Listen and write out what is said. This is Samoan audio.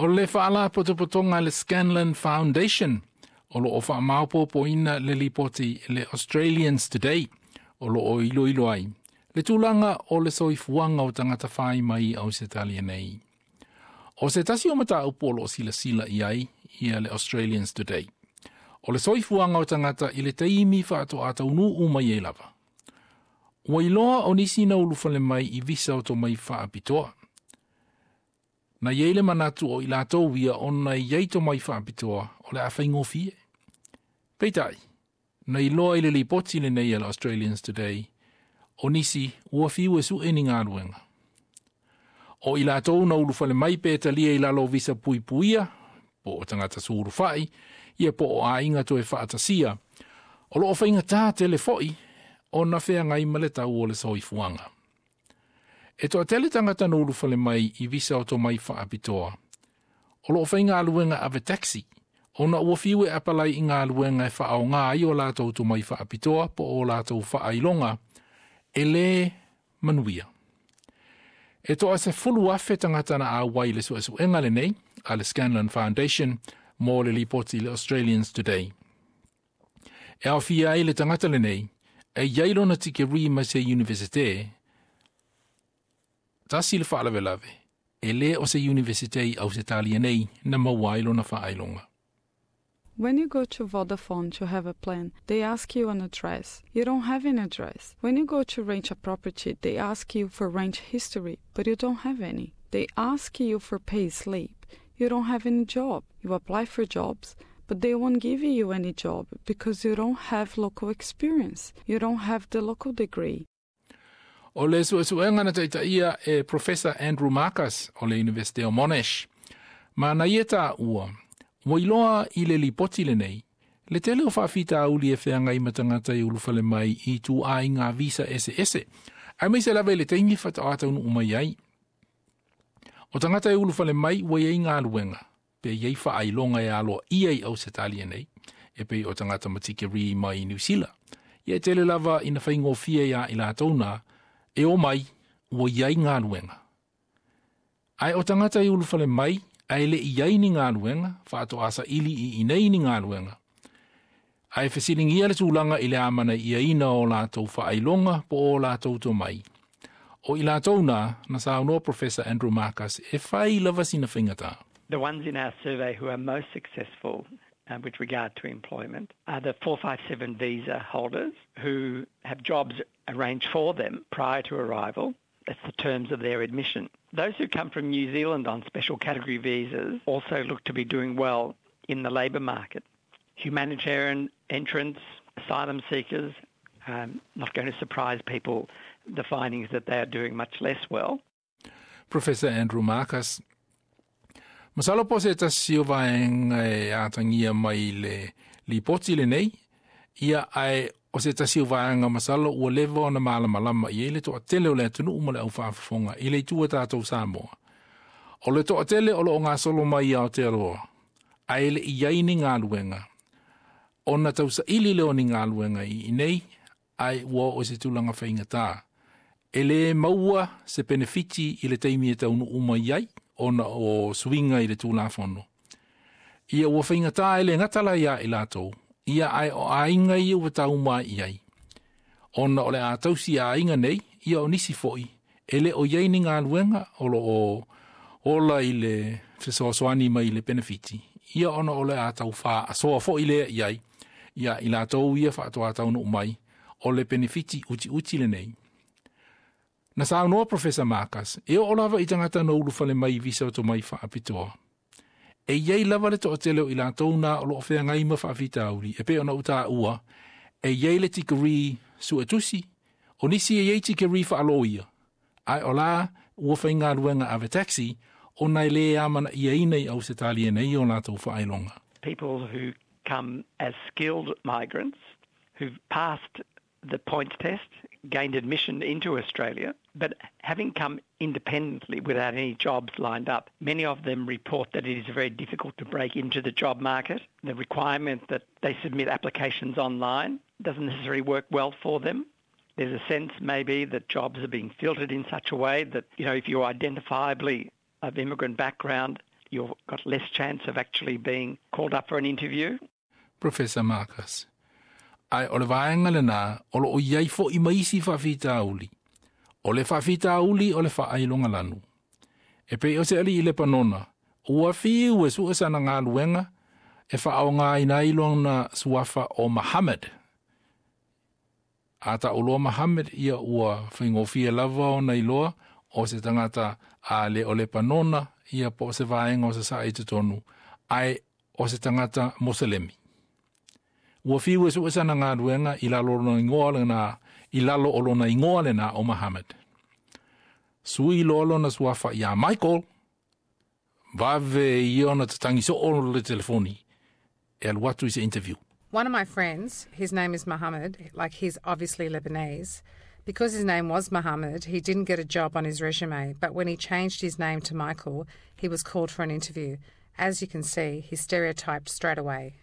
O le faalapotopotoga le Scanlon Foundation o lo o faamaopoopoina le lipoti le Australians Today o lo o iloilo ai le tulaga o le soifuaga o tagata fai mai i Ausetalia nei. O se tasi o mataupu o lo o silasila i ai ia le Australians Today. O le soifuaga o tagata i le taimi faatoa taunuu mai ai lava. Ua iloa o nisi na ulufale mai i visa o tomai faapitoa. Na iai le manatu o i latou ia ona i ai tomai faapitoa o le a faigofie. Peitai, na iloa i le lipoti lenei a le Australians Today, o nisi ua fiu e sue ni galuega. O i latou na ulufale mai pe talia i lalo o visa puipuia, po o tagata sulufai, ia po o aiga toe faatasia, o lo o faigata tele foi ona feagai ma le tau o le soifuaga. E toatele tagata na ulufale mai i visa o tomai faapitoa. O lo o faigaluega ave taxi, ona ua fiu e apalai i galuega e faaaoga ai o latou tomai faapitoa po o latou faailoga, e lē manuia. E toa 10,000 tagata na auai i le suesuega lenei a le Scanlon Foundation mo le lipoti le Australians Today. E aofia ai le tagata lenei, e iai lona tikeri mai se Universite, tasi le faalavelave, e lē o se Universite i Ausetalia nei na maua ai lona faailoga. When you go to Vodafone to have a plan, they ask you an address. You don't have an address. When you go to rent a property, they ask you for rent history, but you don't have any. They ask you for pay slip. You don't have any job. You apply for jobs, but they won't give you any job because you don't have local experience. You don't have the local degree. O le suesuega na taitaia e Professor Andrew Markus o le Universite o Monash. Ma na ia taua, ua iloa i le lipoti lenei, le tele o faafitauli e feagai ma tagata e ulufale mai i ituaiga visa eseese. Aemaise lava i le taimi faatoa taunuu mai ai. O tagata e ulufale mai ua iai galuega, pe iai faailoga e aloaia i Ausetalia nei, e pei o tagata ma tikeri mai Niu Sila. Ia e tele lava ina faigofie iā i latou na, e omai ua iai galuega. Ae o tagata e ulufale mai, ae le i ai ni galuega, faatoa saili i inei ni galuega. Ae fesiligia le tulaga i le amanaiaina o latou faailoga po o latou tomai. O i latou na, na saunoa Professor Andrew Markus e fai lava sina faigata. The ones in our survey who are most successful with regard to employment are the 457 visa holders who have jobs arranged for them prior to arrival. That's the terms of their admission. Those who come from New Zealand on special category visas also look to be doing well in the labour market. Humanitarian entrants, asylum seekers, not going to surprise people, the findings that they are doing much less well. Professor Andrew Markus. Masalo po se tasi o vaega e atagia mai le lipoti lenei, ia ae o se tasi o vaega masalo ua leva ona malamalama i ai le toatele o le atunuu ma le au faafofoga i le itu a tatou Samoa. O le toatele o lo o gasolo mai i Aotearoa, ae le i ai ni galuega, ona tausaili lea o ni galuega i inei, ae ua oo i se tulaga faigata. E lē maua se penefiti i le taimi e taunuu mai ai, ona o suiga i le Tulafono. Ia ua faigata e le gata la iā i latou, ia ae o aiga ia ua tauma i ai. Ona o le a tausi aiga nei, ia o nisi foi, e le o i ai ni galuega o lo o ola i le fesoasoani mai i le penefiti. Ia ona o le a tau faasoa foi lea i ai, ia i latou ia faatoa taunuu mai, o le penefiti utiuti lenei. Na saunoa Professor Markus, e oo lava i tagata na ulufale mai i visa o tomai faapitoa. E iai lava le toatele o i latou na o lo o feagai ma faafitauli, e pei ona ou taua, e iai le tikeri suetusi, o nisi e iai tikeri faaloia, ae o la ua faigaluega ave taxi, ona e lē amanaiaina i Ausetalia nei o latou faailoga. People who come as skilled migrants who've passed the points test, gained admission into Australia, but having come independently without any jobs lined up, many of them report that it is very difficult to break into the job market. The requirement that they submit applications online doesn't necessarily work well for them. There's a sense maybe that jobs are being filtered in such a way that, if you're identifiably of immigrant background, You've got less chance of actually being called up for an interview. Professor Marcus. Ae o le vaega lenā o loo i ai foʻi ma isi faafitauli. O le faafitauli o le faailoga lanu. E pei o se alii Lepanona, ua fiu e sue sana galuega e faaaogāina ai lona suafa o Muhammad. A taʻuloa Muhammad ia ua faigofie lava ona iloa o se tagata a le o Lepanona ia po o se vaega o Sasae i totonu, ae o se tagata Moselemi. Ua fiu e sue sana galuega i lalo o lona igoa lenā, i lalo o lona igoa lenā o Muhammad. Sui loa lona suafa iā Michael, vave ia ona tatagi soo le telefoni e alu atu i se interview. One of my friends, his name is Muhammad, like he's obviously Lebanese. Because his name was Muhammad, he didn't get a job on his resume, but when he changed his name to Michael, he was called for an interview. As you can see, he's stereotyped straight away.